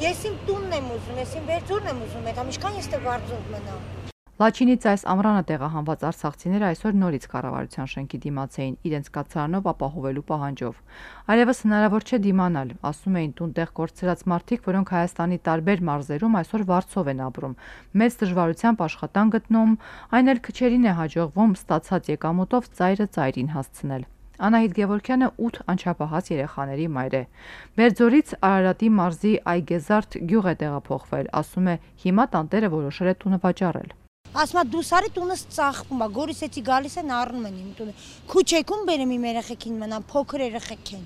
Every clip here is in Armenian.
Ես իմ տունն եմ ուզում, ես իմ վերջուրն եմ ուզում, այդ ամիշքան ես դե վարձով մնամ։ Լաչինից այս ամռանը տեղահանված արցախցիները այսօր նորից կառավարության շենքի դիմաց էին իրենց կացարանով ապահովելու պահանջով։ Այլևս հնարավոր չէ դիմանալ, ասում էին տուն-տեղ կորցրած մարդիկ, որոնք Հայաստանի տարբեր մարզերում այսօր վարձով են ապրում, մեծ դժվարությամբ աշխատանք գտնում, այն էլ քչերին է հաջողվում ստացած եկամուտով ծայրը ծայրին հասցնել։ Անահիտ Գևորգյանը 8 անչափահաս երեխաների մայր է։ Բերձորից Արարատի մարզի Այգեզարդ գյուղ է տեղափոխվել, ասում է հիմա տանտերը որոշել է տունը վաճառել։ Ասում է դու սարի տունս ծախվում է, Գորիսեցի գալիս են առնում են իմ տունը։ Քուչեքում բերեմ իմ երեխեքին մնամ, փոքր երեխեք են։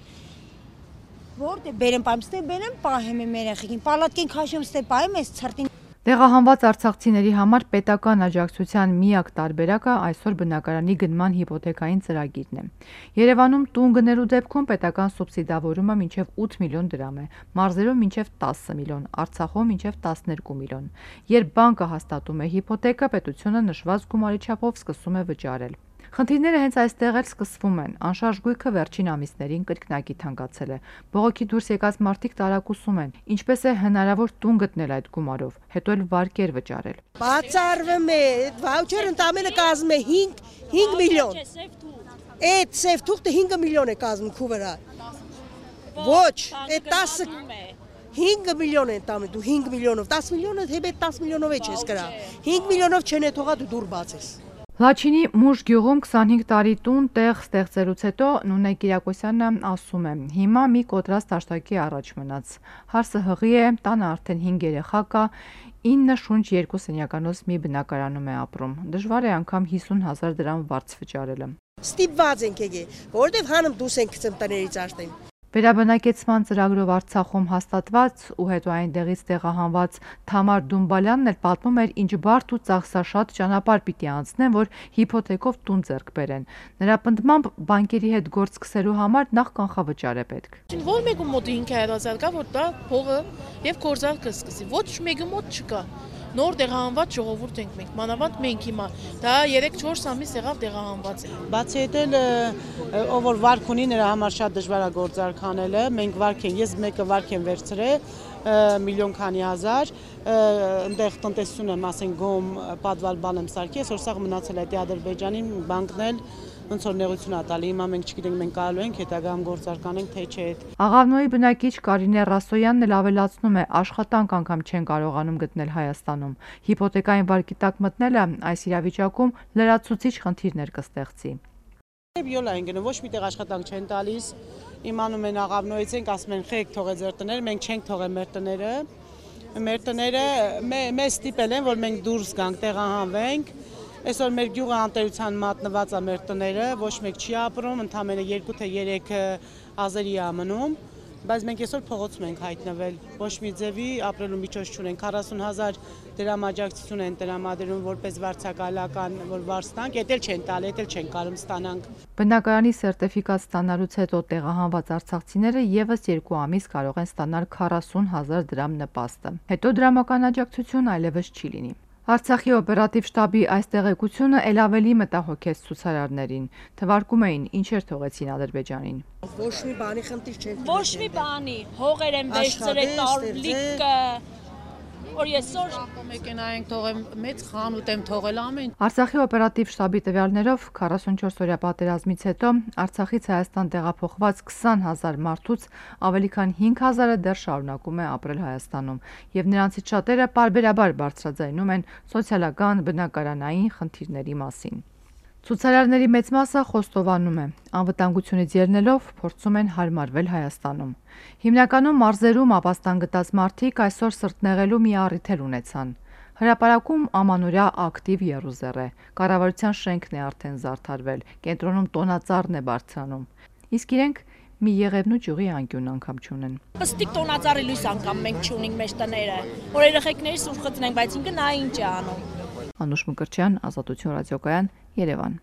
Որտե բերեմ պահեմ, ստե բերեմ պահեմ իմ երեխեքին, պալատկեն քաշեմ, ստե պահեմ այս ցրտին։ Տեղահանված արցախցիների համար պետական աջակցության միակ տարբերակը այսօր բնակարանի գնման հիպոթեքային ծրագիրն է։ Երևանում տուն գնելու դեպքում պետական սուբսիդավորումը մինչև 8 միլիոն դրամ է, մարզերում մինչև 10 միլիոն, Արցախում մինչև 12 միլիոն։ Երբ բանկը հաստատում է հիպոթեկը, պետությունը նշված գումարի չափով սկսում է վճարել։ Խնդիրները հենց այստեղ էլ սկսվում են։ Անշարժ գույքը վերջին ամիսներին կրկնակի թանկացել է։ Բողոքի դուրս եկած մարդիկ տարակուսում են, ինչպես է հնարավոր տուն գտնել այդ գումարով, հետո էլ վարկեր վճարել։ Բացառվում է, վաուչերը ընդամենը կազմում է 5 միլիոն։ Այդ սև թուղթը 5 միլիոն է կազմում քու վրա։ Ոչ, այդ 5 միլիոն է ընդամենը, դու 5 միլիոնով, 10 միլիոնը հետո 10 միլիոնով է չես կրա։ 5 միլիոնով չեն թողա դու դուր բացես։ Լաչինի Մուժ գյուղում 25 տարի տուն տեղ ստեղծելուց հետո Նունե Կիրակոսյանը ասում է. հիմա մի կոտրած տաշտակի առաջ մնաց։ Հարսը հղի է, տանը արդեն 5 երեխա կա, 9 շունչ 2 սենյականոց մի բնակարանում է ապրում։ Դժվար է անգամ 50,000 դրամ վարձ վճարելը։ Ստիպված ենք եկել, որովհետև հանում դուս ենք գցում տներից արտեն։ Վերաբնակեցման ծրագրով Արցախում հաստատված ու հետո այնտեղից տեղահանված Թամար Դումբալյանն էլ պատմում էր, ինչ բարդ ու ծախսաշատ ճանապարհ պիտի անցնեն, որ հիպոթեկով տուն ձեռք բերեն։ Նրա պնդմամբ բանկերի հետ գործ սկսելու համար նախ կանխավճար է պետք։ Որ մեկու մոտ 500,000 կա, որ դա փողը եւ գործարքը սկսի։ Ոչ մեկու մոտ չկա։ Նոր տեղահանված ժողովուրդ ենք մենք, մանավանդ մենք հիմա, դա 3-4 ամիս եղավ տեղահանված է։ Բացի այդ էլ ով որ վարկ ունի նրա համար շատ դժվար է գործարք անելը, մենք վարկ են, ես մեկը վարկ եմ վերցրել, միլիոն քանի հազար, այնտեղ տնտեսություն եմ, ասենք գոմ պատվալ բան եմ սարքի, այսօր սաղ մնացել է Ադրբեջանին բանկն էլ ոնց որ նեղություն ա տալի, հիմա մենք չգիտենք մենք կարելու ենք հետագայում գործարք անենք, թե չէ։ Աղավնոյի բնակիչ Կարինե Ռասոյանն էլ ավելացնում է, աշխատանք անգամ չեն կարողանում գտնել Հայաստանում։ Հիպոթեկային վարկի տակ մտնելը այս իրավիճակում լրացուցիչ խնդիրներ կստեղծի։ Յոլա են գնում, ոչ միտեղ աշխատանք չեն տալիս, իմանում են Աղավնոյից ենք, ասում են խեք թողեք ձեր տները, մենք չենք թողել մեր տները։ Մեր տները մեզ ստիպել են, որ մենք դուրս գանք, տեղահանվենք։ Այսօր մեր գյուղը անտերության մատնված է մեր տները, ոչ մեկ չի ապրում, ընդամենը 2 թե 3 ազերի է մնում, բայց մենք այսօր փողոցում ենք հայտնվել, ոչ մի ձևի ապրելու միջոց չունենք, 40,000 դրամ աջակցություն են տրամադրում որպես վարձակալական, որ վարձտանք, էդ էլ չեն տալի, էդ էլ չեն կարող ստանանք։ Բնակարանի սերտիֆիկատ ստանալուց հետո տեղահանված արցախցիները եւս 2 ամիս կարող են ստանալ 40,000 դրամ նպաստը։ Հետո դրամական աջակցություն այլևս չի լինի։ Արցախի օպերատիվ շտաբի այս տեղեկությունը ել ավելի մտահոգեց ցուցարարներին։ Թվարկում էին ինչեր թողեցին Ադրբեջանին։ Ոչ մի բանի խնդիր չեն։ Ոչ մի բանի, հողեր են վերցրել, տարլիկը, որ այսօր մեքենայենք թողեմ, մեծ խանութ եմ թողել ամեն։ Արցախի օպերատիվ շտաբի տվյալներով 44-օրյա պատերազմից հետո Արցախից Հայաստան տեղափոխված 20,000 մարդուց ավելի քան 5,000-ը դեռ շարունակում է ապրել Հայաստանում, եւ նրանցից շատերը պարբերաբար բարձրաձայնում են սոցիալական բնակարանային խնդիրների մասին։ Ցուցարարների մեծ մասը խոստովանում է, անվտանգությունից ելնելով փորձում են հարմարվել Հայաստանում։ Հիմնականում մարզերում ապաստան գտած մարդիկ այսօր սրտնեղելու մի առիթ ունեցան։ Հրապարակում ամանորյա ակտիվ եռուզեռ է, կառավարության շենքն է արդեն զարդարվել, կենտրոնում տոնածառն է բարձրանում։ Իսկ իրենք մի Եղևնու ճյուղի անկյուն անգամ չունեն։ Պստիկ տոնածառի լույս անգամ մենք չունենք մեր տները, որ երեխեքների սուրճ խծնենք, բայց ինքը նա ինչ է անում։ Անուշ Մկրտչյան, Ազատություն ռադիոկայան, Երևան։